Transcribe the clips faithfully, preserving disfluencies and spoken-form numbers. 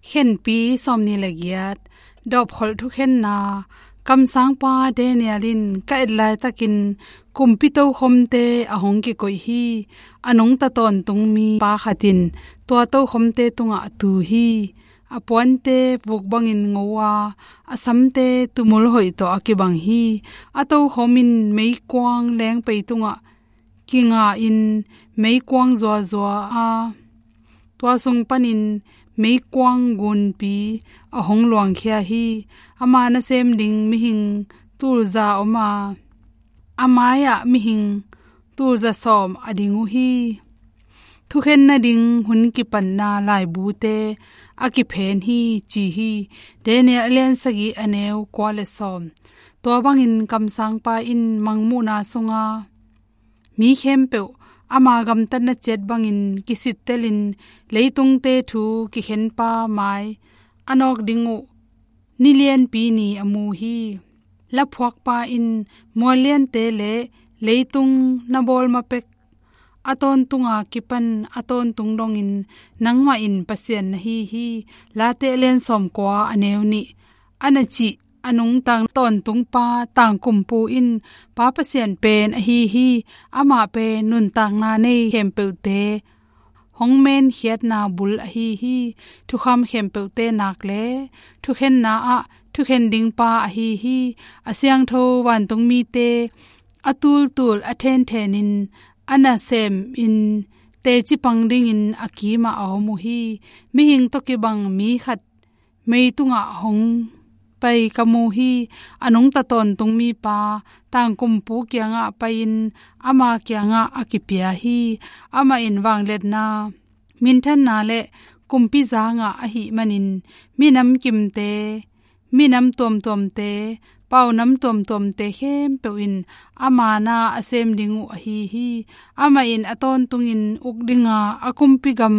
Khenpi sawmnih le giat. Dawpkholh thukhenna. Kamsangpa Daniel in ka et laitakin kumpi tokhomte a hong kikoih hi. A nungta tawntungmi pa khat in tua tokhomte tungah a tu hi. A puante vuk bangin ngo a, a samte tumul hoih tawh a kibang hi. A tokhom in meikuang lengpei tungah kinga in meikuang zuazua a, tua sung panin meikuang gunpi a hong luangkhia hi. Ama nasem ding mihing tulza om a, a mai-ah mihing tulza sawm a ding uh hi. Thukhen nading hun kipatna laibute a kiphen hi, ci hi. Daniel a lian sagih, a neu kua le sawm. Tua bangin kamsangpa in mangmuhna sunga mi khempeuh ama gamtatna ciat bangin kisittelin, leitungte thu kikhenpa mai a nawk ding uh ni lianpi ni a mu hi. Laphuakpa in mual liante le leitung na bawl ma pek a tawntunga kipan a tawntung dongin nangmah in Pasian na hi hi. Late a lian sawmkua, a neu nih. A na cih a nungta tawntungpa Tangkumpu in Pa Pasian pen ahi hi. Amah pen nuntakna nei khempeuhte hong menkhiatna bul ahi hi. Thukham khempeuhte nak le thukhenna ah thukhen ding pa ahi hi. A siangtho vantungmite a tultul a thenthenin a nasemin teci pang dingin a kimah a om uh hi. Mihing tawh kibang mi khat mei tungah hong pai ka mu hi. A nungta tawntungmipa Tangkumpu kiangah pai-in ama kiangah a kipia hi. Amah in vangliatna, minthanna le kumpi zangah ahih manin minam kimte, minam tuamtuamte, paunam tuamtuamte khempeuh in ama na a sem ding uh ahi hi. Amah in a tawntungin uk dinga a kumpi gam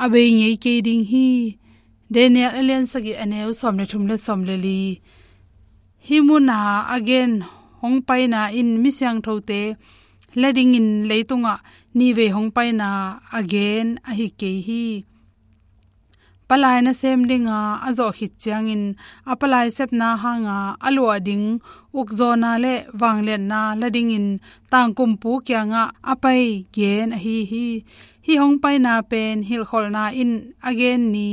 a bei ngei kei ding hi. Daniel a lian sagih, a neu sawm le thum le sawm le li. Hih muna a gen hong paina in mi siangthote la dingin leitungah nihvei hong paina a gen ahi kei hi. Palai nasem dinga a zawh khit ciangin a palai sepna hanga a luah ding ukzawna le vangliatna la dingin Tangkumpu kiangah a pai gen ahi hi. Hih hong paina pen hilhkholhna in a gen ni,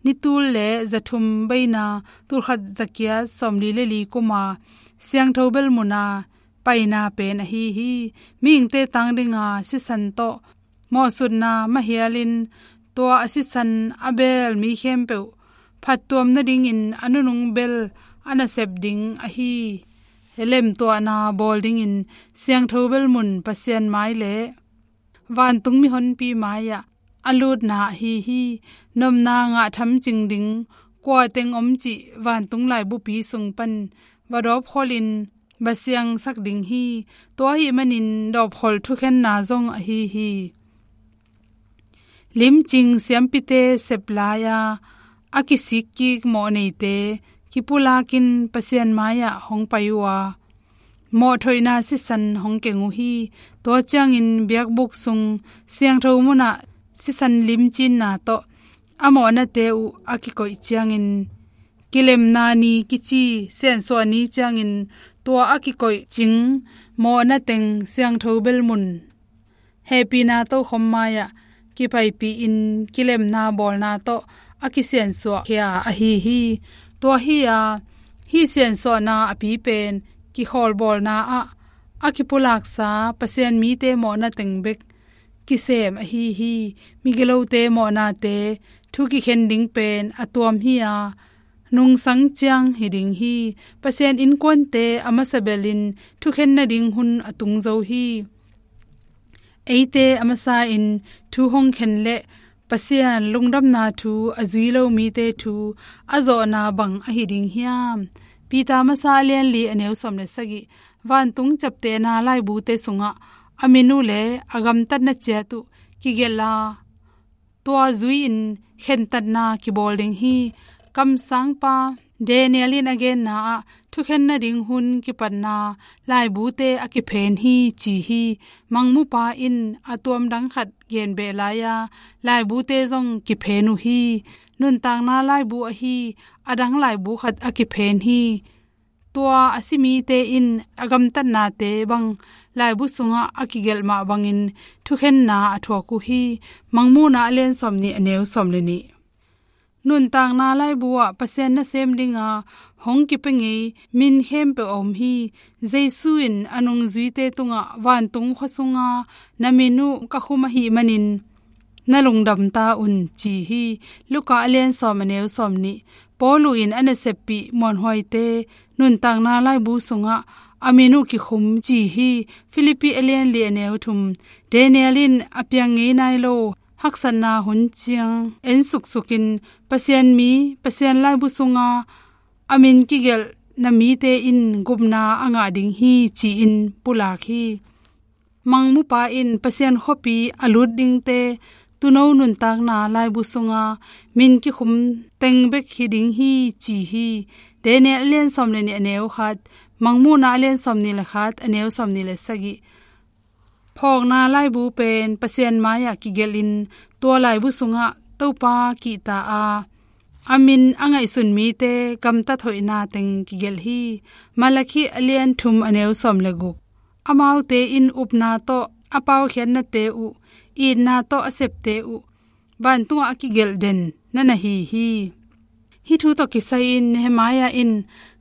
ni tul le zathum beina tulkhat zakiat sawmli le li kuma siangtho bel muna paina pen ahi hi. Mihingte tang dinga sisan tawh mawhsutna mahialin tua a sisan a beel mi khempeuh phattuam nadingin a nunung bel a nasep ding ahi. Lemtuahna bawl dingin siangtho bel mun Pasian mai le vantung mihonpi mai-ah a lutna ahi hi. Nopna ngah thamcing ding kua teng om cih vantung laibupi sung pan va dawpkholhin va siangsak ding hi. Tua ahih manin dawpkholh thukhenna zong ahi hi. Limcing siampite sep lai-a a kisikkik mawhneite kipulakin Pasian mai-ah hong pai uh a, mawhthoihna sisan hong keng uh hi. Tua ciangin biakbuk sung siangtho munah sisan limcinna tawh a mawhnate uh a kikoih ciangin, kilemna ni kici siansuah ni ciangin tua a kikoih cing mawhna teng siangtho bel mun hehpihna tokhom mai-ah kipaipihin kilemna bawlna tawh a kisiansuahkhia ahi hi. Tua hi-a, hih siansuahna a pi pen kikhawlbawlna ah a kipulaksa Pasian mite mawhna teng bek kisem ahi hi. Migilote mawhnate thu kikhen ding pen a tuam hi-a, nungsang ciang hi ding hi. Pasian innkuante a masa belin thukhen nading hun a tung zo hi. Eite a masa-in thu hong khen le Pasian lungdamna thu a zui lo mite thu a zawhna bang ahi ding hiam? Peter masa a lianli, a neu sawm le sagih. Vantung ciaptehna laibute sungah a min uh le a gamtatna ciat uh kigelh a, tua zui-in khentatna kibawl ding hi. Kamsangpa Daniel in a genna ah thukhen nading hun kipatna laibute a kiphen hi ci hi. Mangmupa in a tuam dang khat gen beh lai-a laibute zong kiphen uh hi. Nuntakna laibu ahi a dang laibu khat a kiphen hi. Tua a si mite in a gamtatnate bang laibu sungah a kigelh mah bangin thukhenna a thuak uh hi. Mangmuhna a lian sawm nih a neu sawm le nih. Nuntakna laibu ah Pasian nasem dinga hong kipia ngei min khempeuh a om hi. Jesu in a nungzuite tungah vantung khua sunga na min uh ka khum ahih manin na lungdam ta un ci hi. Luka a lian sawm a neu sawm nih. Paulu in a naseppih muanhuaite nuntakna laibu sungah a min uh kikhum ci hi. Filipi a lian li a neu thum. Daniel in a piang ngei nai lo haksatna hun ciang en suksukin Pasian mi, Pasian laibu sunga a min kigelhna mite in gupna a ngah ding hi ci-in pulak hi. Mangmupa in Pasian khuapi a lut dingte tuuno nuntakna laibu sunga min kikhum teng bek hi ding hi ci hi. Daniel a lian sawm le nih a neu khat, Mangmuhna a lian sawm nih le khat a neu sawm nih le sagih. Phawkna laibu pen Pasian mai-ah kigelhin tua laibu sungah Topa kihta a, a min a ngaihsun mite gamtat hoihna teng kigelh hi. Malakhi a lian thum a neu sawm le guk. Amaute in upna tawh a paukhiatnate uh, itna tawh a septe uh, vantungah a kigelh den na na hi hi. Hih thu tawh kisai-in Nehemiah in,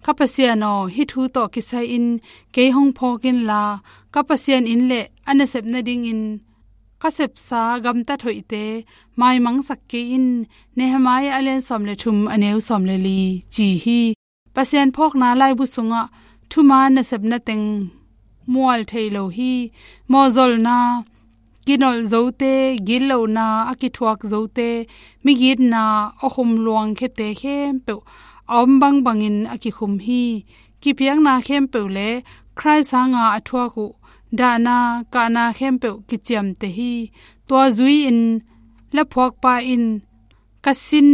"Ka Pasian aw, hih thu tawh kisai-in kei hong phawk inla, ka Pasian inn le a nasep nadingin ka sepsa gamtat hoihte maimangsak kei in," Nehemiah a lian sawm le thum a neu sawm le li ci hi. Pasian phawkna laibu sungah thuman nasepna teng mual thei lo hi. Mawhzolna, kinolh zote, gitlohna a kithuak zote, migitna a khum luangkhiate khempeuh a om bangbangin a kikhum hi. Kipiakna khempeuh le Khrih sanga a thuak uh dahna kahna khempeuh kiciamteh hi. Tua zui-in laphuakpa in, "Ka sin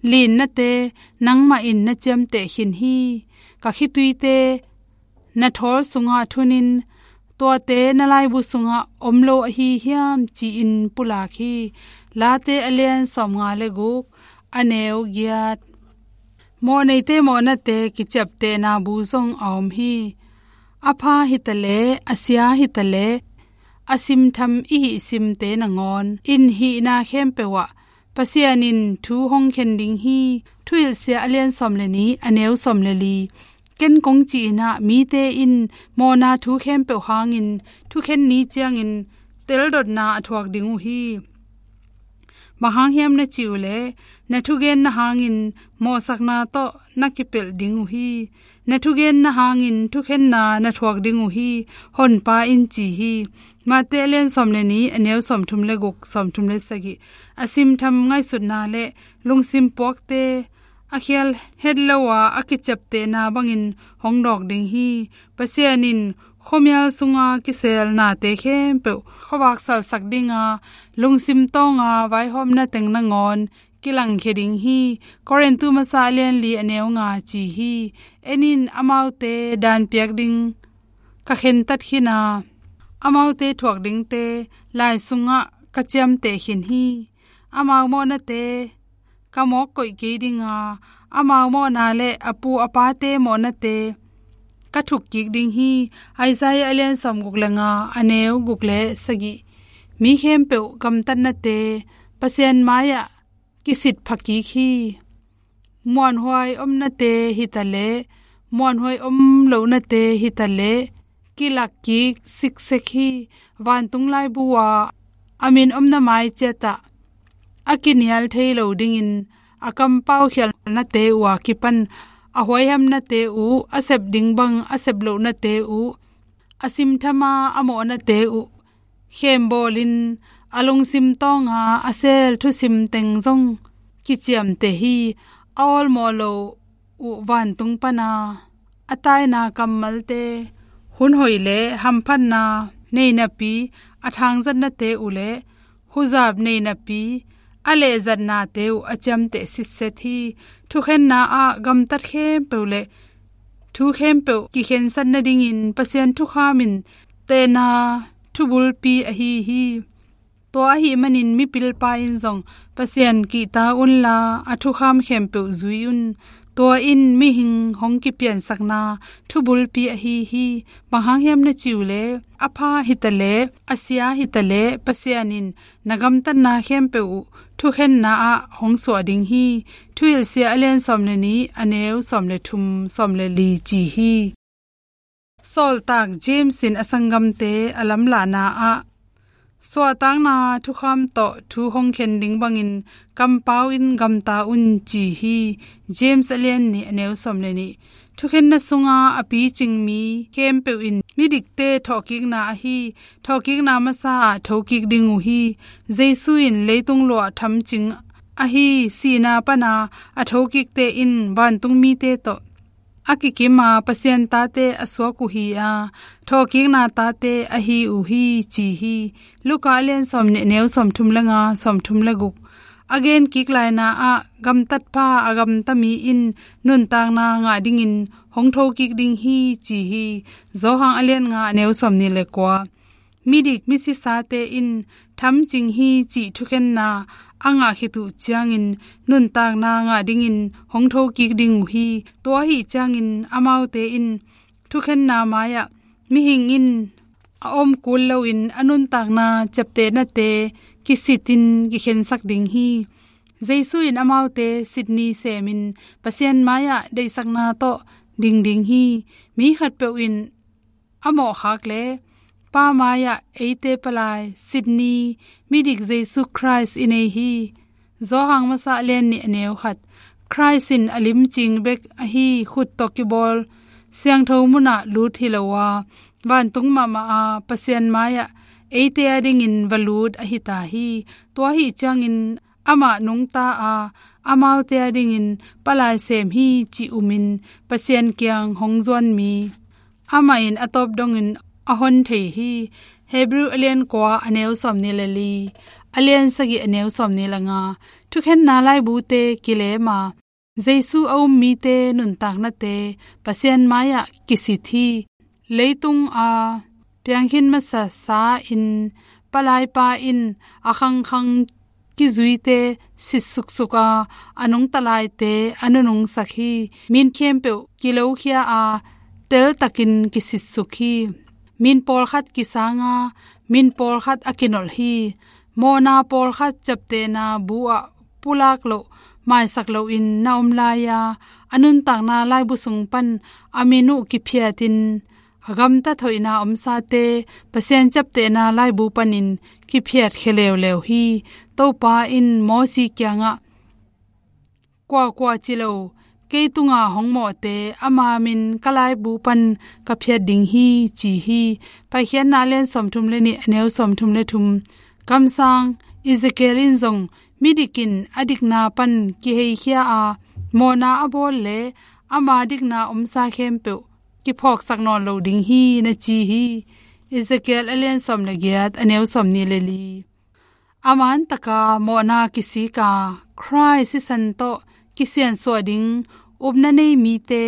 linnate nangmah in na ciamteh khin hi. Ka khituite na thawl sungah thunin tuate na laibu sungah om lo ahi hiam?" ci-in pulak hi. Late a lian sawmnga le guk, a neu giat. Mawhneite mawhnate kiciaptehna bu zong a om hi. A pha hitaleh, a sia hitaleh, a simtham i hih simte nangawn in hihna khempeuh ah Pasian in thu hong khen ding hi. Thuhilhsia a lian sawm le nih, a neu sawm le li. Ken kong cih in ah, mite in mawhna thu khempeuh hangin thukhen ni ciangin teldotna a thuak ding uh hi. Bang hang hiam na cih uh leh, na thugenna hangin mawhsakna tawh na kipelh ding uh hi. Na thugenna hangin thukhenna na thuak ding uh hi, Honpa in ci hi. Mate a lian sawm le nih, a neu sawmthum le guk, sawmthum le sagih. A simtham ngaihsutna le lungsim puakte, a khial het lo a, a kiciaptehna bangin hong dawk ding hi. Pasian in khuamial sunga kiselnate khempeuh khuavak salsak dinga, lungsim tawnga vaihawmna teng nangawn kilangkhia ding hi. Korintu masa a lian li, a neu nga ci hi. En in, amaute dan piak ding ka khentat khin a, amaute thuak dingte lai sungah ka ciamteh khin hi. Amau mawhnate ka mawk koih kei dinga, amau mawhna le a pu a pate mawhnate ka thuk kik ding hi. Isaiah a lian sawmguk le nga, a neu guk le sagih. Mi khempeuh gamtatnate Pasian mai-ah kisit pha kik hi. Muanhuai omnate hitaleh, muanhuai om lohnate hitaleh, kilak kik siksek hi. Vantung laibu ah a min omna mai ciatah a kinial thei lo dingin, a kampaukhialhnate uh a kipan a huaihamnate uh, a sep ding bang a sep lohnate uh, a simthama a mawhnate uh khembawlin, a lungsim tawnga a sel thusim teng zong kiciamteh hi. A awlmawh lo uh vantung pana a taina kammalte, hun hoih le hamphatna nei napi a thangzatnate uh le huzap nei napi a lehzatnate uh a ciamteh sitset hi. Thukhenna ah gamtat khempeuh le thu khempeuh kikhensat nadingin Pasian thukham in tehna thubulpi ahi hi. Tua ahih manin mipilpa in zong Pasian kihta unla a thukham khempeuh zui un. Tua in mihing hong kipiansakna thubulpi ahi hi. Bang hang hiam na cih uh leh, a pha hitaleh, a sia hitaleh, Pasian in na gamtatna khempeuh uh thukhenna ah hong suah ding hi. Thuhilhsia a lian sawm le nih, a neu sawm le thum, sawm le li ci hi. Sawltak James in a sanggamte a lamlahna ah, suahtakna thukham tawh thu hong khen ding bangin kampau in gamta un ci hi. James a lian nih, a neu sawm le nih. Thukhenna sunga a picing mi khempeuh in midikte thawhkikna ahi, thawhkikna masa ah thokik ding uh hi. Jesu in leitung luah thamcing ahi sihna pana a thokikte in vantung mite tawh a kikim a Pasian tate a suak uh hi a, thawhkikna tate ahi uh hi ci hi. Luka a lian sawm nih, a neu sawm thum le nga, sawm thum le guk. A gen kik laina ah gamtatpa a gamta mi in nuntakna ngah dingin hong thokik ding hi ci hi. Johan a lian nga, a neu sawm nih le kua. Midik misisate in thamcing hi cih thukhenna a ngah khit uh ciangin nuntakna ngah dingin hong thokik ding uh hi. Tua ahih ciangin amaute in thukhenna mai-ah mihing in a om kul loin a nuntakna ciaptehnate kisitin kikhensak ding hi. Jesu in amaute sit ni semin Pasian mai-ah deihsakna tawh ding ding hi. Mi khatpeuh in a mawhkhak leh Pa mai-ah eite palai sit ni midik Jesu Khrist i nei hi. Johan masa a lian nih, a neu khat. Khrist in a limcing bek ahi khut tawh kibawl siangtho munah lut hi lo a, vantung mahmah a Pasian mai-ah eite adingin va lut ahi ta hi. Tua ahih ciangin amah nungta a, amaute adingin palai sem hi cih umin Pasian kiang hong zuan mi amah in a tawp dongin a hon thei hi. Hebrew a lian kua, a neu sawm nih le li, a lian sagih, a neu sawm nih le nga. Thukhenna laibute kilem a, Jesu a um mite nuntaknate Pasian mai-ah kisit hi. Leitung a piangkhin masa sa in palaipa in a khangkhang kizuite sit suksuk a, a nungta laite a nunungsak hi. Min khempeuh kilokhia a, teltakin kisitsuk hi. Min pawlkhat kisang a, min pawlkhat a kinolh hi. Mawhna pawlkhat ciaptehna bu-ah pulak loh, maisak loin na om lai-a, a nuntakna laibu sung pan a min uh kiphiatin, a gamtat hoihna omsate Pasian ciaptehna laibu panin kiphiatkhia leuleu hi. Topa in Mosi kiangah, kuakua ci lo, kei tunga hong mawhte ama min ka laibu pan ka phiat ding hi, ci hi. Paikhiatna a lian sawmthum le nih, a neu sawmthum le thum. Kamsang Ezekiel in zong midik in a dikna pan kiheikhia a, mawhna a bawl le ama dikna omsa khempeuh kiphawksak nawn lo ding hi, na ci hi. Ezekiel a lian sawm le giat, a neu sawmnih le li. A man taka mawhna kisik a, Khrih sisan tawh kisiansuah ding upna nei mite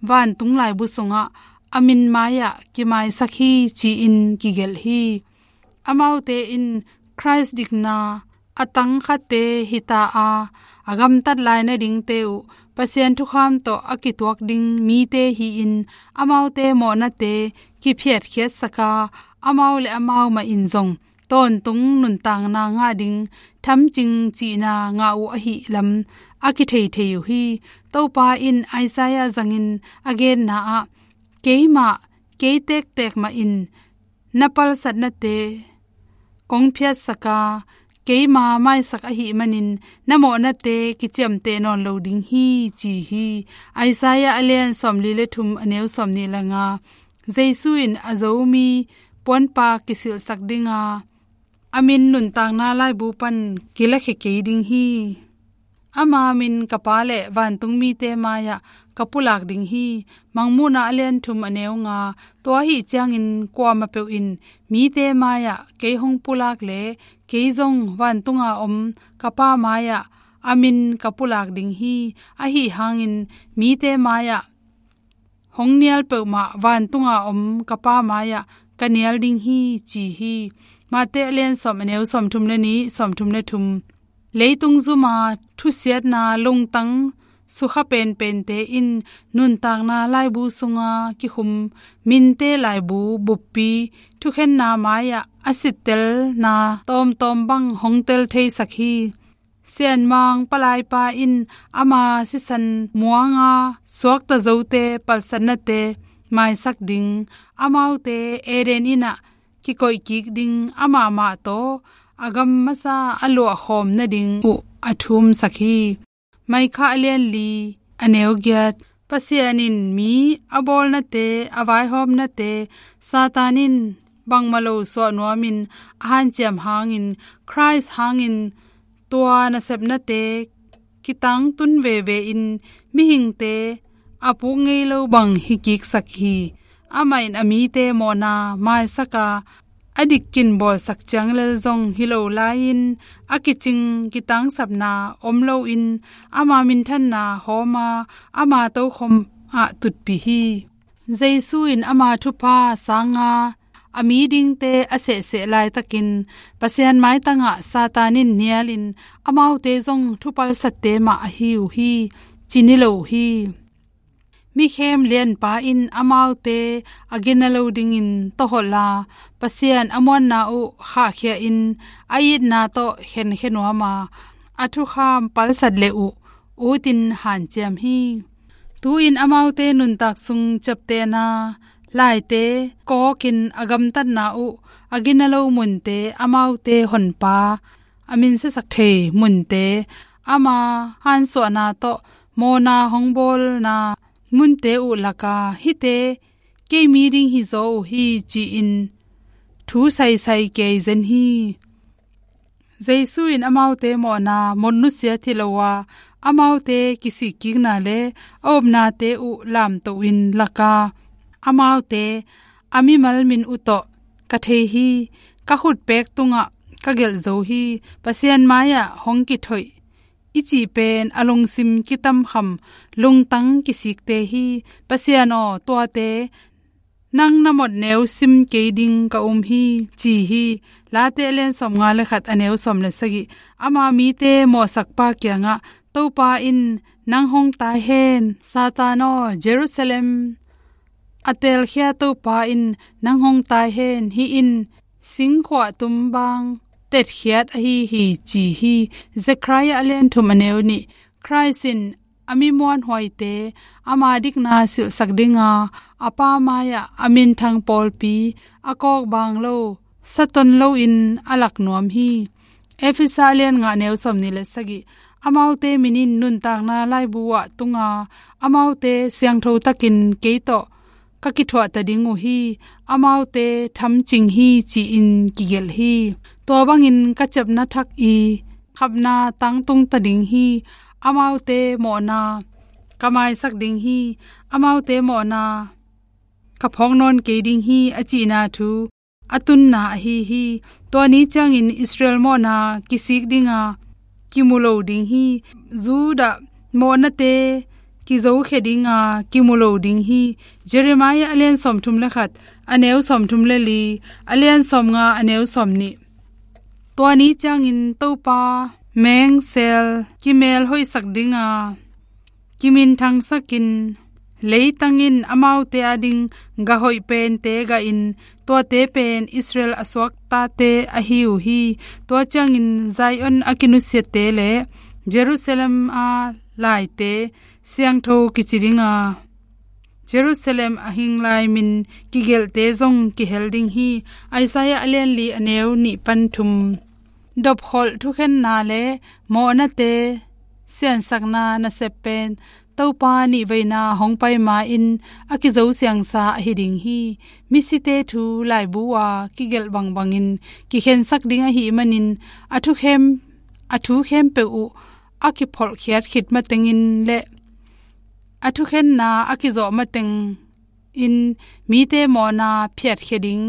vantung laibu sungah a min mai-ah kimaisak hi, ci-in kigelh hi. Amaute in Khrih dikna a tangkhatte hi ta a, a gamtat lai nadingte uh Pasian thukham tawh a kituak ding mite hi-in, amaute mawhnate kiphiatkhiatsak a, amau le amau mah in zong tawntung nuntakna ngah ding thamcing cihna ngah uh ahih lam a kitheithei uh hi. Topa in Isaiah zangin a genna ah, keimah, kei tektek mah in na palsatnate kong phiatsak a, keima maisak ahih manin na mawhnate kiciamteh nawn lo ding hi, ci hi. Isaiah a lian sawmli le thum, a neu sawmnih le nga. Jesu in a Zomi puanpa kisilhsak ding a, a min nuntakna laibu pan kilakhia kei ding hi. Ama min ka Pa le vantung mite mai-ah ka pulak ding hi. Mangmuhna a lian thum a neu nga. Tua ahih ciangin kuamah peuh in mite mai-ah kei hong pulak le kei zong vantunga om ka Pa mai-ah a min ka pulak ding hi. Ahi hangin mite mai-ah hong nial peuhmah vantunga om ka Pa mai-ah ka nial ding hi, ci hi. Mate a lian sawm a neu sawmthum le nih, sawmthum le thum. Leitung zuma thusiatna lungtang sukha penpente in nuntakna laibu sunga kikhum minte laibu buppi thukhenna mai-ah a sittelna tawmtawm bang hong tel theisak hi. Sianmang palaipa in ama sisan muanga suakta zote palsatnate maisak ding, amaute Eden innah kikoih kik ding, amah mah tawh a gam masa a luahkhawm nading uh a thumsak hi. Maikha a lian li a neu giat. Pasian in mi a bawlnate, a vaihawmnate, Satan in bangmah lo suah nuamin a hanciam hangin, Khrist hangin tua nasepnate kitangtun veve in mihingte a puk ngei lo bang hi kiksak hi. Amah in a mite mawhna maisak a, a dikkin bawlsak ciang lel zong hi lo lai-in, a kicing kitangsapna om loin ama minthanna hawm a, ama tokhom ah tutpih hi. Jesu in ama thupha sanga a mi dingte a sehseh laitakin Pasian maitangah Satan in nialin amaute zong thupalsatte mah ahi uh hi, ci ni lo uh hi. Mikhem lianpa in amaute a gina lo dingin tawholh a, Pasian a muanna uh khahkhia in a itna tawh khenkhia nuam a, a thukham palsat le uh utin hanciam hi. Tu-in amaute nuntak sung ciaptehna laite kawkin a gamtatna uh, a gina lo munte, amaute honpa a minsiasak thei munte, ama hansuahna tawh mawhna hong bawlna munte uh laka hihte kei mi ding hizaw uh hi, ci-in thu saisai kei zen hi. Jesu in amaute mawhna mawh nusiat hi lo a, amaute kisikkikna le a upnate uh lamtohin laka, amaute a mimal min uh tawh ka thei hi. Ka khutpek tungah ka gelh zo hi. Pasian mai-ah hong kithoih i cih pen a lungsim kitamkham lungtang kisikte hi. Pasian aw, tuate nang na mawhneu sim kei ding ka um hi, ci hi. Late a lian sawmnga le khat, a neu sawm le sagih. Ama mite mawhsakpa kiangah, Topa in nang hong tai hen. Satan aw, Jerusalem a teelkhia Topa in nang hong tai hen. Hih in singkhuah tum bang tetkhiat ahi hi, ci hi. Zekhariah a lian thum, a neu nih. Khrist in a mi muanhuaite ama dikna silhsak dinga, a Pa mai-ah a minthang pawlpi a kawk bang lo, saton loin a lak nuam hi. Efesa a lian nga, a neu sawmnih le sagih. Amaute min in nuntakna laibu ah tunga, amaute siangtho takin kei tawh ka kithuahta ding uh hi. Amaute thamcing hi, ci-in kigelh hi. Tua bangin ka ciapna thak i khapna tangtungta ding hi. Amaute mawhna ka maisak ding hi. Amaute mawhna ka phawk nawn kei ding hi, a cihna thu a tunna ahi hi. Tua ni ciangin Israel mawhna kisik dinga kimu lo ding hi. Judah mawhnate kizokhia dinga kimu lo ding hi. Jeremiah a lian sawmthum le khat, a neu sawmthum le li, a lian sawmnga, a neu sawmnih. Tua ni ciangin Topa mengsel kimelhoihsak dinga kiminthangsakin, leitang in amaute ading gah hoih pente gahin, tuate pen Israel a suaktate ahi uh hi. Tua ciangin Zion a kinusiate le Jerusalem a laite siangtho kici dinga, Jerusalem a hinglai min kigelhte zong kihel ding hi. Isaiah a lian li, a neu nih pan thum. Dopkholh thukhenna le mawhnate siansakna nasep pen Topa nihveina hong pai ma-in a kizosiangsa ahi ding hi. Misite thu laibu a kigelh bangbangin kikhensak ding ahih manin a thukhem, a thu khempeuh uh a kipholhkhiat khit matengin le a thukhenna a kizawh matengin mite mawhna phiatkhia ding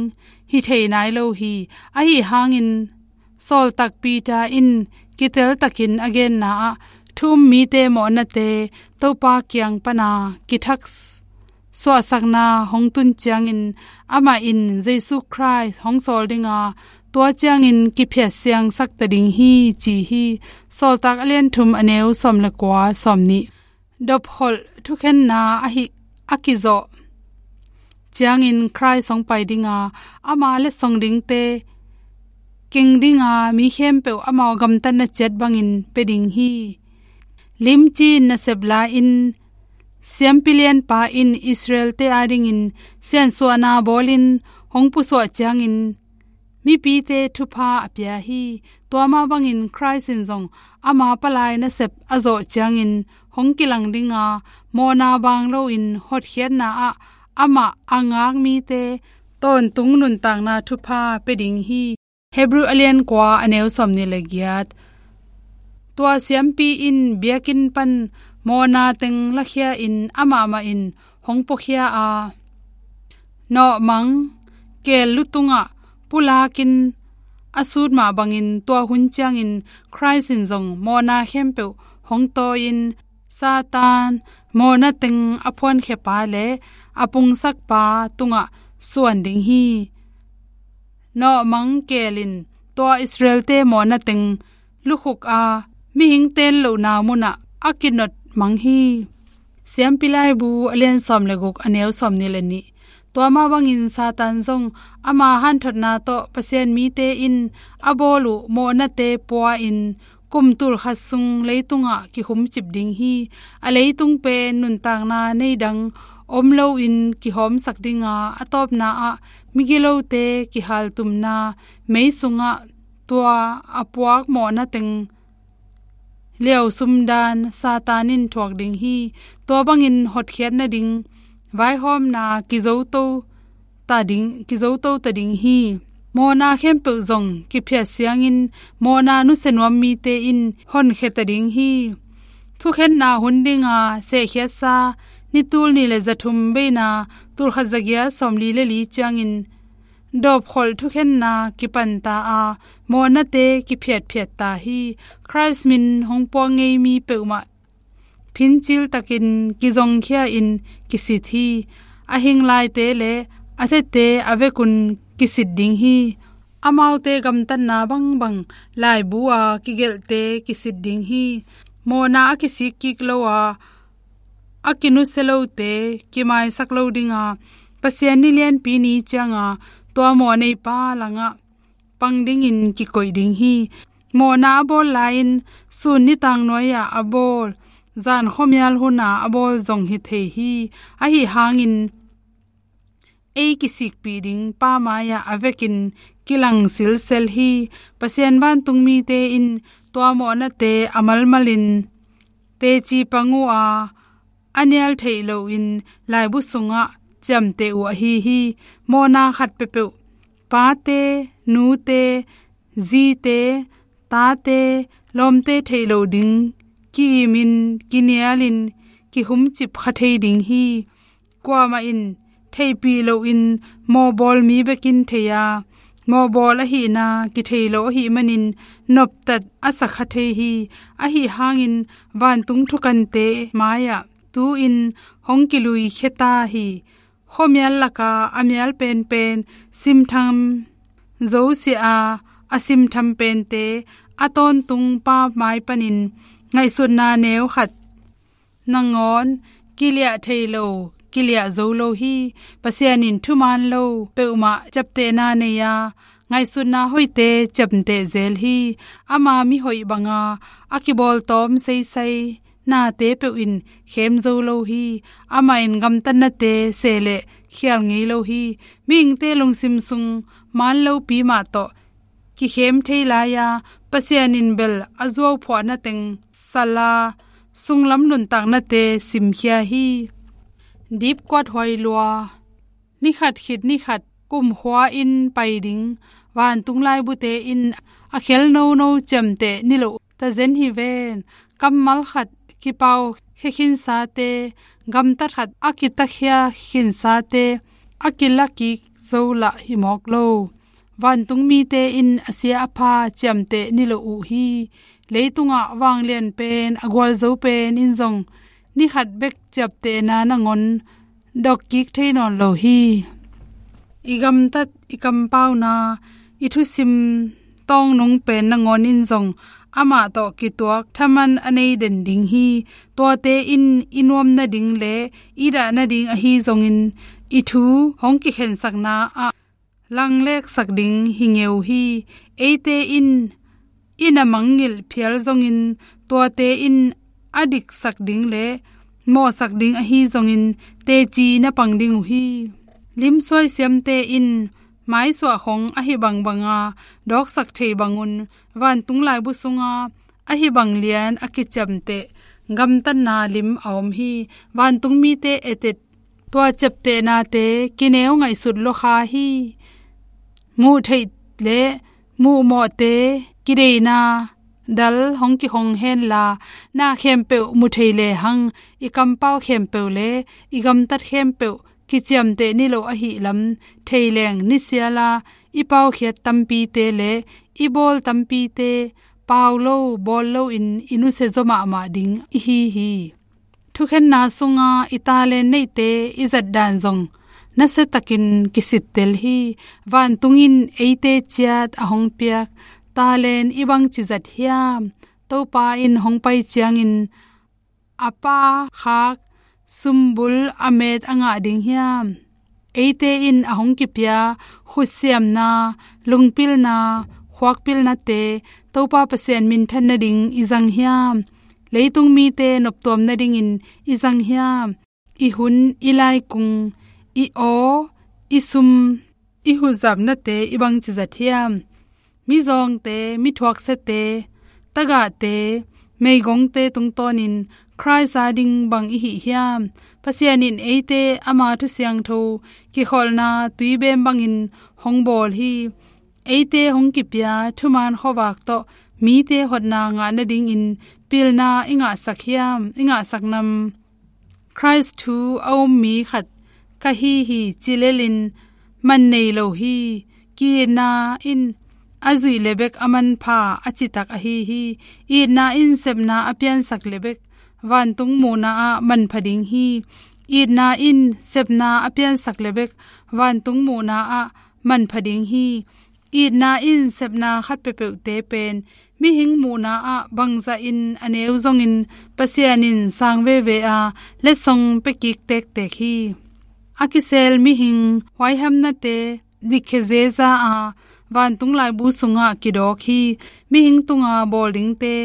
hi thei nai lo hi. Ahi hangin sawltak Peter in kiteltakin a genna ah thu um mite mawhnate Topa kiang pana kithak suahsakna hong tun ciangin amah in Jesu Khrist hong sawl dinga tua ciangin kiphiat siangsak ta ding hi ci hi. Sawltak a lian thum a neu sawm le kua, sawm nih. Dopkholh thukhenna ahi a kizawh ciangin Khrist hong pai dinga ama letsong dingte keng dinga mi khempeuh amau gamtatna ciat bangin pia ding hi. Limci in nasep la-in siampi lianpa in Israel-te adingin siansuahna bawlin hong pusuah ciangin mipite thupha a pia hi. Tua mah bangin Khrist in zong ama palai nasep a zawh ciangin hong kilang dinga mawhna baang loin hotkhiatna ah amah a ngak mite tawntung nuntakna thupha pia ding hi. Hebrew a lian kua a neu sawm nih le giat. Tua siampi in biakinn pan mawhna teng lakhia in amah mah in hong puakhia a, nawhmang keel lu tungah pulakin a sut mah bangin tua hun ciangin Khrist in zong mawhna khempeuh hong tawi-in Satan mawhna teng a phuankhiapa le a pungsakpa tungah suan ding hi. Nawhmang keel in tua Israel-te mawhna teng lukhuk a mihing teen lohna munah a kinot mang hi. Siampi Laibu a lian sawm le guk a neu sawm nih le nih. Tua mah bangin Satan zong ama hanthotna tawh Pasian mite in a bawl uh mawhnate pua-in kum tulkhat sung leitungah kikhumcip ding hi. A leitung pen nuntakna nei dang om loin kihawmsak dinga a tawpna ah migilote kihaltumna mei sungah tua a puak mawhna teng liausum dan Satan in thuak ding hi. Tua bangin hotkhiat nading vaihawmna kizoto ta ding, kizoto ta ding hi. Mawhna khempeuh zong kiphiat siangin mawhna nusia nuam mite in honkhia ta ding hi. Thukhenna hun dinga sehkhiatsa ni tul nih le zathum beina tulkhat zagiat sawmli le li ciangin dawpkholh thukhenna kipanta a mawhnate kiphiatphiat ta hi. Khrist min hong puak ngei mi peuhmah phincil takin kizongkhia in kisit hi. A hing laite le a siate a vekun kisit ding hi. Amaute gamtatna bangbang laibu a kigelhte kisit ding hi. Mawhna a kisik kik lo a a kinusia lote kimaisak lo dinga Pasian ni lianpi ni cianga tua mawh neipa langah pang dingin kikoih ding hi. Mawhna a bawl lai-in sun nitang nuai-ah a bawl, zan khuamial huna a bawl zong hi thei hi. Ahi hangin ei kisikpih ding pa mai-ah a vekin kilang silsel hi. Pasian vantung mite in tua mawhnate a malmalin teci pang uh a, a nial theih loin laibu sungah ciamteh uh ahi hi. Mawhna khat peuhpeuh pate, nute, zite, tate, lawmte theih loh ding ki-imin, kinialin, kihumcip kha thei ding hi. Kuamah in theihpih loin mawhbawl mi bekin thei a, mawhbawl ahihna kithei lo ahih manin noptat a sa kha thei hi. Ahi hangin vantung thukante mai-ah tu-in hong kilui khia ta hi. Khuamial laka a mial penpen simtham zosia a, a simtham pente a tawntung pa mai panin ngaihsutna neu khat nangawn kiliah thei lo, kiliah zo lo hi. Pasian in thuman lo peuhmah ciaptehna nei a, ngaihsutna hoihte ciamteh zel hi. Ama mihoih banga a kibawltawm seisai nate peuh in khem zo lo hi. Amah in gamtatnate seh le khial ngei lo hi. Mihingte lungsim sung man lopi mah tawh kikhem thei lai-a, Pasian in bel a zuauphuahna teng sala sunglam nuntaknate simkhia hi. Dipkuat huai lua, nikhat khit nikhat kumkhua in pai ding vantung laibute in a khel nono ciamteh niloh tazen hi ven. Kammal khat kipau khia khinsate, gamtat khat a kitakhia khinsate a kila kik zo lah hi mawk lo. Vantung mite in a sia a pha ciamteh niloh uh hi. Leitungah vanglian pen, a gualzo pen in zong ni khat bek ciaptehna nangawn dok kik thei nawn lo hi. I gamtat, i kampauna, i thusim tawngnung pen nangawn in zong amah tawh kituak thaman a nei den ding hi. Tuate in i nuam nading le i dah nading ahi zongin, i thu hong kikhensakna ah langleksak ding hi ngeu hi. Eite in i na mangngilh phial zongin, tuate in a diksak ding le mawhsak ding ahi zongin, teci na pang ding uh hi. Limsuai siamte in maisuah khong ahi bangbanga dawksak thei bangun, vantung laibu sunga ahi bang lian a kiciamteh gamtatna lim a om hi. Vantung mite etet, tua ciaptehnate kineu ngaihsut lua kha hi. Muh theih le muh mawhte kideina dal hong kikhong henla, na khempeuh mu thei lehang, i kampau khempeuh le i gamtat khempeuh kiciamteh niloh ahih lam thei leng, nisiala i paukhiat tampite le i bawl tampite pau lo, bawl loin i nusia zaw mahmah ding i hi hi. Thukhenna sunga i talent neihte i zatdan zong nasiatakin kisittel hi. Vantung in eite ciat a hong piak talent i bangci zat hiam? Topa in hong pai ciangin a pha khak sumbul a met a ngah ding hiam? Eite in a hong kipia khutsiamna, lungpilna, khuakpilnate Topa Pasian minthan nading i zang hiam? Leitung mite noptuam nadingin i zang hiam? I hun, i laikung, i aw, i sum, i huhzapnate i bangci zat hiam? Mizawngte, mithuaksiate, tagahte, meigongte tungtawnin Khrist a ding bang i hih hiam? Pasian in eite ama thu siangtho kikholhna tuibem bangin hong bawl hi. Eite hong kipia thuman khuavak tawh mite hotna ngah nadingin pilna i ngahsak hiam, i ngahsak nam? Khrist thu a um mi khat ka hi hi ci lelin man nei lo hi. Ki-itna in a zuih le bek a manpha a citak ahi hi. Itna in sepna a piansak le bek vantung muhna ah manpha ding hi. Itna in sepna a piansak le bek vantung muhna ah manpha ding hi. Itna in sepna khat peuhpeuhte pen mihing muhna ah bangzahin a neu zongin Pasian in sang veve a letsong pia kik tektek hi. A kisel mihing huaihamnate dikkhia zeza a vantung laibu sungah kidawk hi. Mihing tunga bawl dingte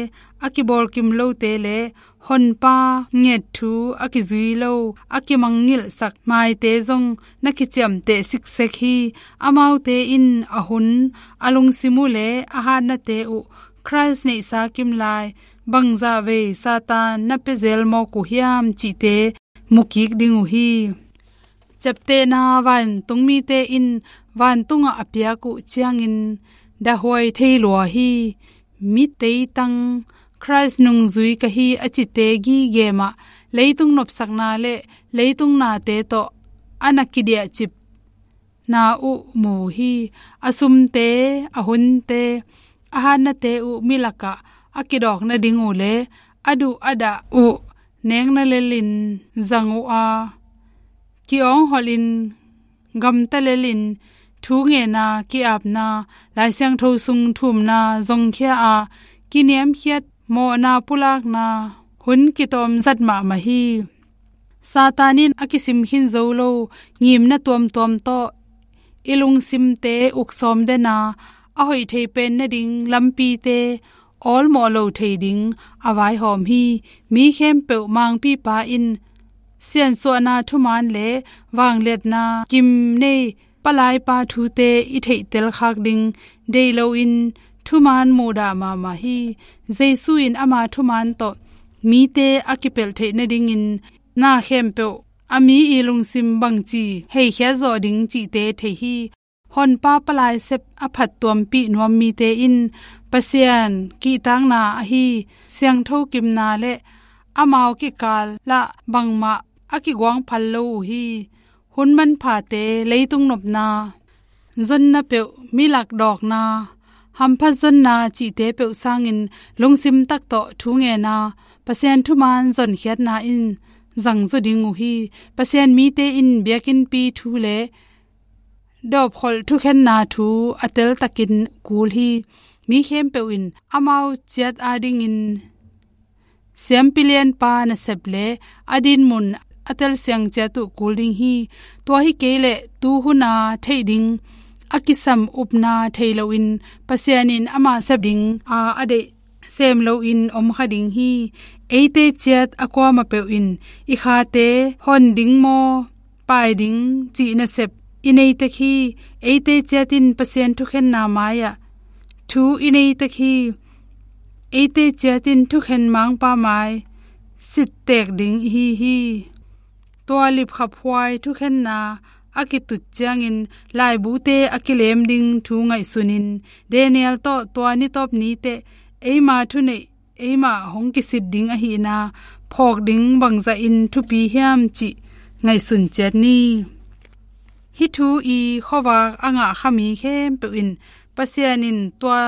a kibawl kim lote le Honpa nget thu a kizui lo, a kimangngilhsak maite zong na kiciamteh siksek hi. Amaute in a hun, a lungsim uh le a hatnate uh Khrist neihsa kim lai bangzah vei Satan na pia zel mawk uh hiam cihte mu kik ding uh hi. Ciaptehna vantung mite in vantungah a piak uh ciangin dahuai thei lua hi. Mi teitang Khrist nungzui ka hi a cite gige mah leitung nopsakna le leitung nate tawh a na kidiahcipna uh mu hi. A sumte, a hunte, a hatnate uh mi lakah a kidawk nading uh le a duh a dah uh nekna lelin zang uh a, ki-awngholhin gamta lelin thu ngenna, ki-apna, Lai Siangtho sung thumna zongkhia a, kiniamkhiat mawhna pulakna hun kitawm zat mahmah hi. Satan in a kisim khin zo lo ngimna tuamtuam tawh i lungsimte uk sawm den a, a hoih thei pen nading lampite awlmawh lo thei ding a vaihawm hi. Mi khempeuh mangpipa in siansuahna thuman le vangliatna kim nei palaipa thute i theihtel khak ding deih loin thuman muhdah mahmah hi. Jesu in ama thuman tawh mite a kipelh theih nadingin na khempeuh a mi i lungsim bangci heikhiat zawh ding cihte thei hi. Honpa palai sep a phattuampih nuam mite in Pasian kihtakna ahi siangtho kimna le amau kikal lah bangmah a kiguang phal lo uh hi. Hun manphate, leitung nopna, zonna peuh, mi lakdawkna, hamphat zonna cihte peuh sangin lungsim tak tawh thu ngen a, Pasian thuman zonkhiatna in zangzaw ding uh hi. Pasian mite in biakinnpi thu le dawpkholh thukhenna thu a teltakin kul hi. Mi khempeuh in amau ciat adingin siampi lianpa nasep le a dinmun a telsiang ciat uh kul ding hi. Tua hi kei leh tuhuna theih ding a kisam upna thei loin Pasian in ama sep ding a a deih sem loin om kha ding hi. Eite ciat a kuamah peuh in i khate hon ding maw, pai ding cih nasep i nei tek hi. Eite ciat in Pasian thukhenna mai-ah thu i nei tek hi. Eite ciat in thukhen mangpa mai sittek ding i hi hi. Tua lipkhaphuai thukhenna a kitut ciangin laibute a kilem ding thu ngaihsunin Daniel tawh tua nitawp niteh eima thuneih eima hong kisit ding ahihna phawk ding bangzahin thupi hiam cih ngaihsun ciat ni. Hih thu i khuavak a ngah kha mi khempeuh in Pasian in tua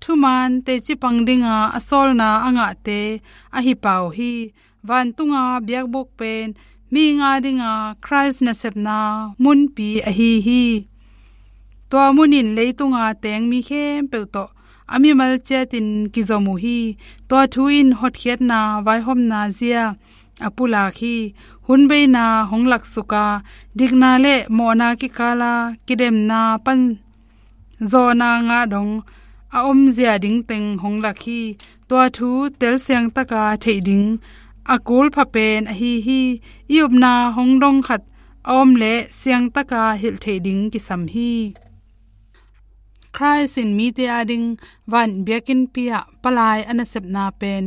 thuman teci pang dinga a sawlna a ngahte ahi pah uh hi. Vantunga biakbuk pen mi nga dinga Khrist nasepna munpi ahi hi. Tua mun in leitunga teng mi khempeuh tawh a mimal ciatin kizom uh hi. Tua thu in hotkhiatna vaihawmna zia a pulak hi. Hun beina hong laksuk a, dikna le mawhna kikala kidemna pan zawhna ngah dong a omzia dingteng hong lak hi. Tua thu telsiang taka theih ding a kulpha pen ahi hi. I upna hong dong khat a om leh siangtaka hilh theih ding kisam hi. Khrist in mite ading van biakinnpi ah palai a nasepna pen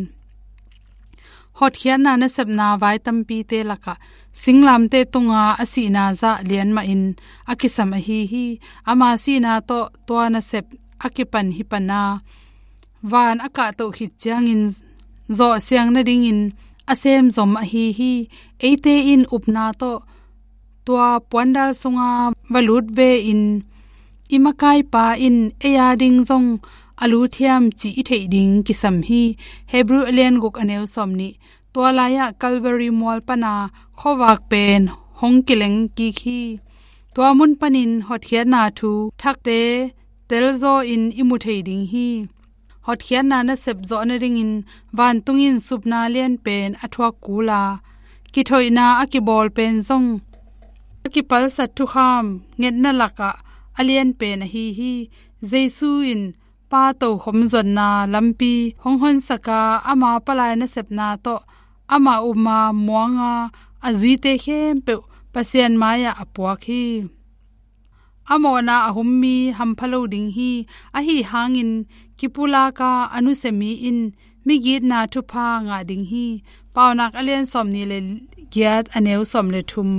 hotkhiatna nasepna vai tampite lakah singlamteh tunga a sihna zah lian mahin a kisam ahi hi. Ama sihna tawh tua nasep a kipan hi pana van a kahtoh khit ciangin zawhsiang nadingin a semzom ahi hi. Eite in upna tawh tua puandal sunga va lut ve in i makaipa in ei ading zong a lut hiam cih i theih ding kisam hi. Hebrew a lian guk a neu sawm nih. Tua lai-ah Calvary mual pana khuavak pen hong kileng kik hi. Tua mun panin hotkhiatna thu thakte telzaw in i mu thei ding hi. Hotkhiatna nasep zawh nadingin vantung in supna lian pen a thuak kul a, kithoihna a kibawl pen zong a kipalsat thukham ngetna lakah a lian pen ahi hi. Jesu in Pa tokhom zuatna lampi hong honsak a, ama palai nasepna tawh ama upna muanga a zuite khempeuh Pasian mai-ah a puak hi. A mawhna a hum mi hampha lo ding hi. Ahi hangin kipulaka a nusia mi in migitna thupha ngah ding hi. Paunak a lian sawm nih le giat a neu sawm le thum.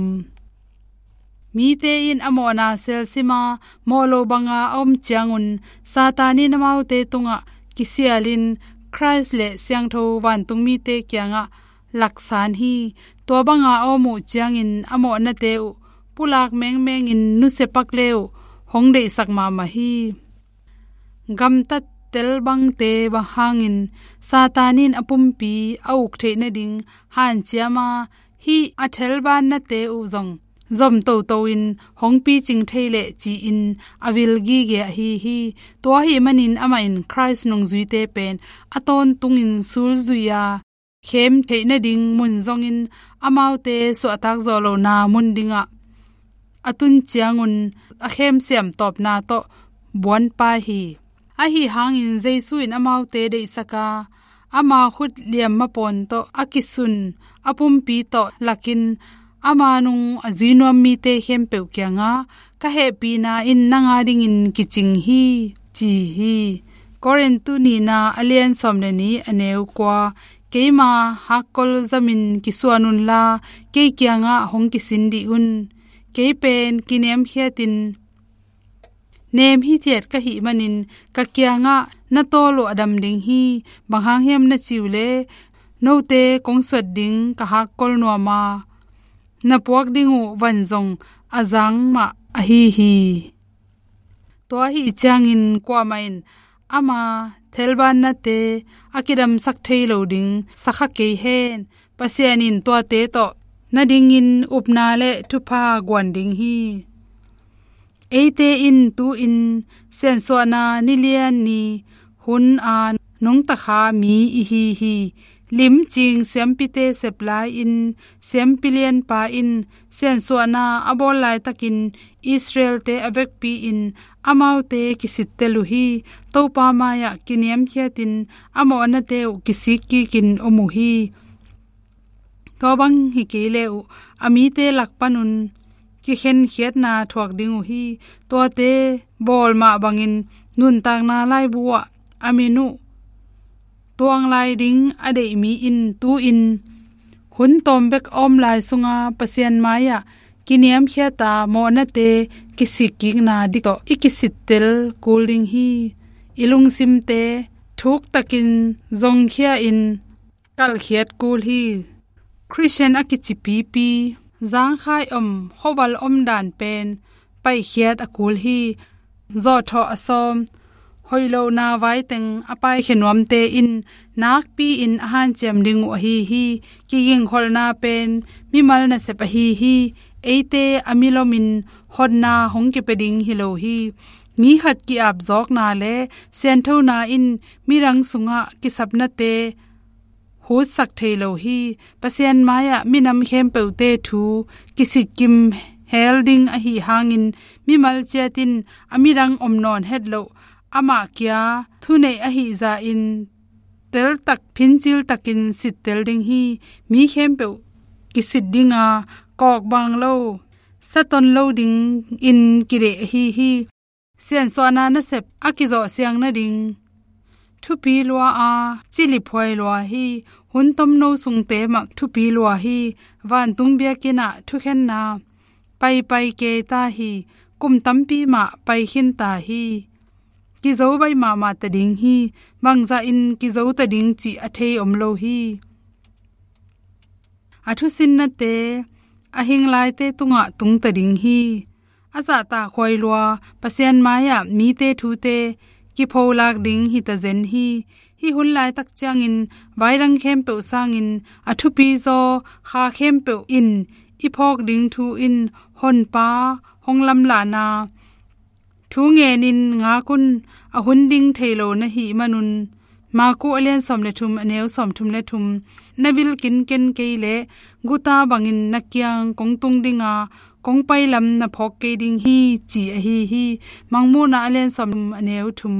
Mite in a mawhna selsima mawh lo banga a om ciangun Satan in amaute tungah kisialin Khrist le siangtho vantungmite kiangah laksan hi. Tua banga a om uh ciangin a mawhnate uh pulak mengmengin nusia pak le uh hong deihsak mahmah hi. Gamtat tel bangte bang hangin Satan in a pumpi a uk theih nading hanciam a, hih a thelbannate uh zong zom toto in hong picing thei leh ci-in a vil gige ahi hi. Tua ahih manin amah in Khrist nungzuite pen a tawntungin sulzui a, khem theih nading mun zongin amaute suahtak zawh lohna mun dingah a tun ciangun a khemsiam tawpna tawh buanpai hi. Ahi hangin Jesu in amaute deihsak a, ama khut liamma pawn tawh a kisun a pumpi tawh lakin ama nung a zui nuam mite khempeuh kiangah, "Ka hehpihna in nang adingin kicing hi," ci hi. Korintu nihna a lian sawm le nih a neu kua. "Keima hakkol zamin kisuan unla, kei kiangah hong kisin dih un. Kei pen kiniamkhiatin Nem hithiat ka hih manin ka kiangah na tawl uh a dam ding hi. Bang hang hiam na ci uh leh, note kong suat ding ka hakkol nuam a, na puak ding uh van zong a zang mah ahi hi. Tua ahih ciangin kuamah in ama thelbannate a kidamsak thei lo ding sa kha kei hen. Pasian in tuate tawh na dingin upna le thupha guan ding hi. Eite in tu-in siansuahna nilian ni hun a nungta kha mi i hi hi. Limcing siampite sep lai-in, siampi lianpa in siansuahna a bawl laitakin Israel-te a vekpi-in amaute kisittel uh hi. Topa mai-ah kiniamkhiatin a mawhnate uh kisik kikin om uh hi. Tua bang hi kei le uh, a mite lak panun kikhenkhiatna thuak ding uh hi. Tuate bawl mah bangin nuntakna laibu ah a min uh tuang lai ding a deih mi in tu-in hun tawm bek a om lai sunga Pasian mai-ah kiniamkhiata mawhnate kisikkikna dik tawh i kisittel kul ding hi. I lungsimte thuktakin zongkhia-in kalhkhiat kul hi. Khristian a kici pipi, zangkhai om, khuaval om dan pen paikhiat a kul hi. Zawhthawh a sawm, hoih lohna vaiteng a paikhia nuamte in nakpi-in a hanciam ding uh ahi hi. Kigingkholhna pen mimal nasep ahi hi. Eite a milomin hotna hong kipia ding hi lo hi. Mi khat ki-apzawkna le sianthona in midang sungah kisapnate hutsak thei lo hi. Pasian mai-ah minam khempeuhte thu kisitkim hel ding ahi hangin mimal ciat in a midang om nawn het loh amah kia thuneih ahi zahin teltak phinciltakin sittel ding hi. Mi khempeuh kisit dinga kawkbang lo, saton lo dingin kideih ahi hi. Siansuahna nasep a kizawhsiang nading thupi lua a ciliphuai lua hi. Hun tomno sungte mah thupi lua hi. Vantung biakinn ah thukhenna paipai kei ta hi. Kum tampi mah pai khin ta hi. Kizo baih mahmah ta ding hi. Bangzahin kizo ta ding cih a thei om lo hi. A thusinnate a hinglaite tungah tung ta ding hi. A zahtakhuai lua Pasian mai-ah mite thute kipholak ding hi ta zen hi. Hih hun laitak ciangin vaidang khempeuh sangin a thupizaw kha khempeuh in i phawk ding thu in Honpa hong lamlahna thu ngenin ngak un. A hun ding thei lo na hih manun Maku a lian sawm le thum, a neu sawm thum le thum na vil kinken kei leh guta bangin na kiang kong tung dinga kong pailam na phawk kei ding hi, ci ahi hi. Mangmuhna a lian sawm a neu thum.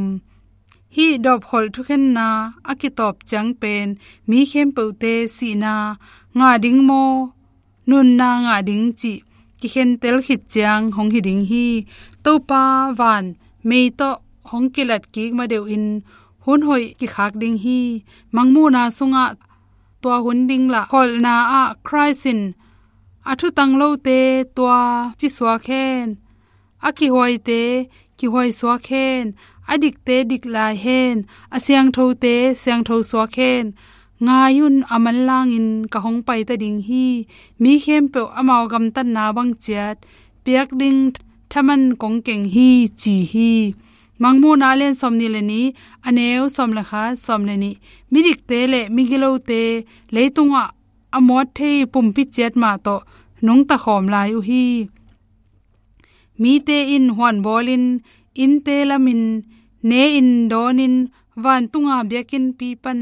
Hih dawpkholh thukhenna a kitawp ciang pen mi khempeuhte sihna ngah ding maw, nunna ngah ding cih kikhentel khit ciang hong hi ding hi. Topa van mei tawh hong kilat kik madeuhin hun hoih kikhak ding hi. Mangmuhna sungah tua hun ding lah kholhna ah Khrist in a thutang lote tua ci suak hen. A kihuaite kihuai suak hen, a dikte dik lai hen, a siangthote siangtho suak hen. Ngai un, a manlangin ka hong paita ding hi. Mi khempeuh amau gamtatna bang ciat piak ding thaman kong keng hi, ci hi. Mangmuhna a lian sawm nih le nih, a neu sawm le khat, sawm le nih. Midikte le migilote leitungah a muat thei pumpi ciat mah tawh nungta khawm lai uh hi. Mite in huanbawlin, innte lamin, ne-in dawnin, vantunga biakinnpi pan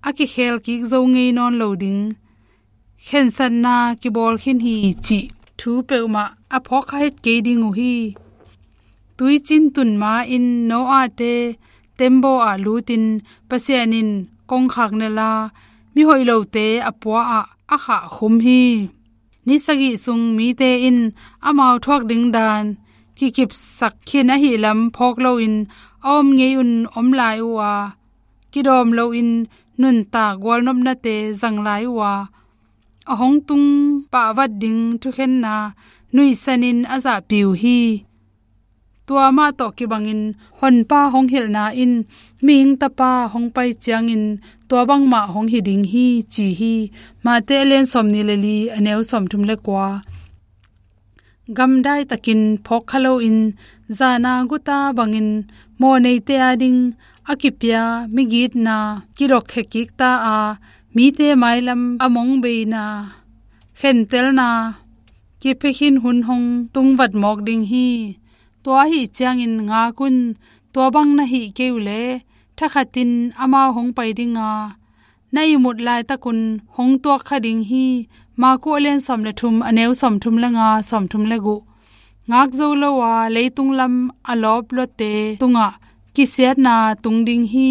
a kikhel kik zo ngei nawn lo ding khensatna kibawl khin hi, cih thu peuhmah a phawk kha het kei ding uh hi. Tuicin tun ma-in Noah-te tembaw ah lutin Pasian in kongkhak nela mihoih lote a pua ah a khahkhum hi. Ni sagih sung mite in amau thuak ding dan kikipsak khin ahih lam phawk loin a om ngei un om lai uh a, kidawm loin nuntak gualnopnate zang lai uh a, a hong tung pahvat ding thukhenna nuihsanin a zahpi uh hi. Tua mah tawh kibangin Honpa hong hilhna in mihing tapa hong pai ciangin tua bangmah hong hi ding hi, ci hi. Mate a lian sawmnih le li, a neu sawmthum le kua. Gamdai takin phawk kha loin, zana guta bangin mawhneite a ding a kipia migitna kidokkhia kik ta a, mite mailam a mongbeina, khentelna kiphekhin hun hong tungvat mawk ding hi. Tua ahih ciangin ngak un, tua bang na hih kei uh leh thakhatin amau hong pai ding a, na ihmut laitakun hong tuak kha ding hi. Marku a lian sawm le thum, a neu sawmthum le nga, sawmthum le guk. Ngak zo lo a leitung lam a lawp luatte tungah kisiatna tung ding hi.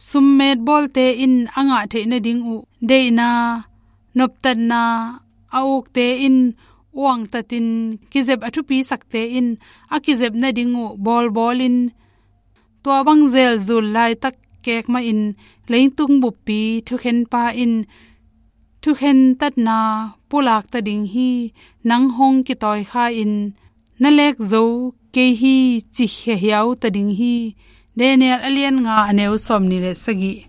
Summet bawlte in a ngah theih nading uh deihna, noptatna, a ukte in uangtatin kizep a thupisakte in a kizep nading uh bawlbawlin, tua bang zelzul laitak kek mahin leitung buppi thukhenpa in thukhen tatna pulak ta ding hi. Nang hong kitawi kha in na lek zo kei hi, ci khia hiau ta ding hi. Daniel a lian nga, a neu sawmnih le sagih.